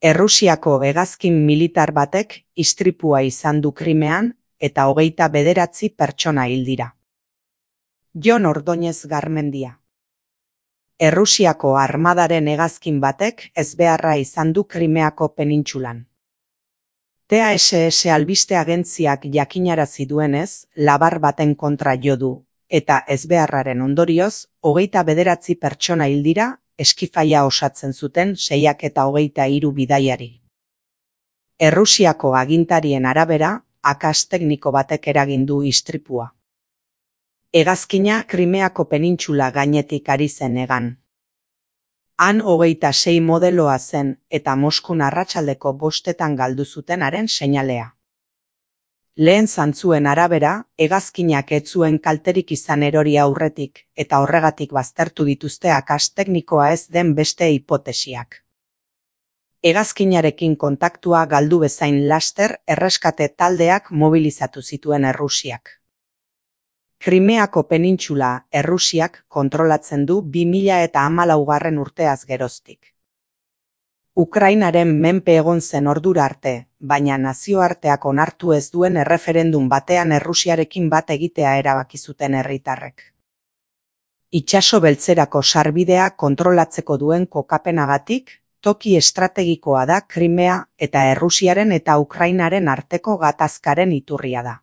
Errusiako hegazkin militar batek istripua izan du Krimean eta 29 pertsona hil dira. Jon Ordóñez Garmendia. Errusiako armadaren hegazkin batek ezbeharra izan du Krimeako penintsulan. TASS albiste agentziak jakinarazi duenez, labar baten kontra jo du, eta ezbeharraren ondorioz, 29 pertsona hil dira, eskifaia osatzen zuten 623 bidaiari. Errusiako agintarien arabera, akats tekniko batek eragin du istripua. Hegazkina Krimeako penintsula gainetik ari zen hegan. Han 26 modeloa zen eta Moskun arratsaldeko 5 galdu zutenaren seinalea. Lehen zantzuen arabera, hegazkinak ez zuen kalterik izan erori aurretik eta horregatik baztertu dituzte akats teknikoa ez den beste hipotesiak. Hegazkinarekin kontaktua galdu bezain laster erreskate taldeak mobilizatu zituen Errusiak. Krimeako penintsula Errusiak kontrolatzen du 2014 urteaz geroztik. Ukrainaren menpe egon zen ordura arte, baina nazioarteak onartu ez duen erreferendum batean Errusiarekin bat egitea erabaki zuten herritarrek. Itsaso beltzerako sarbidea kontrolatzeko duen kokapenagatik, toki estrategikoa da Krimea eta Errusiaren eta Ukrainaren arteko gatazkaren iturria da.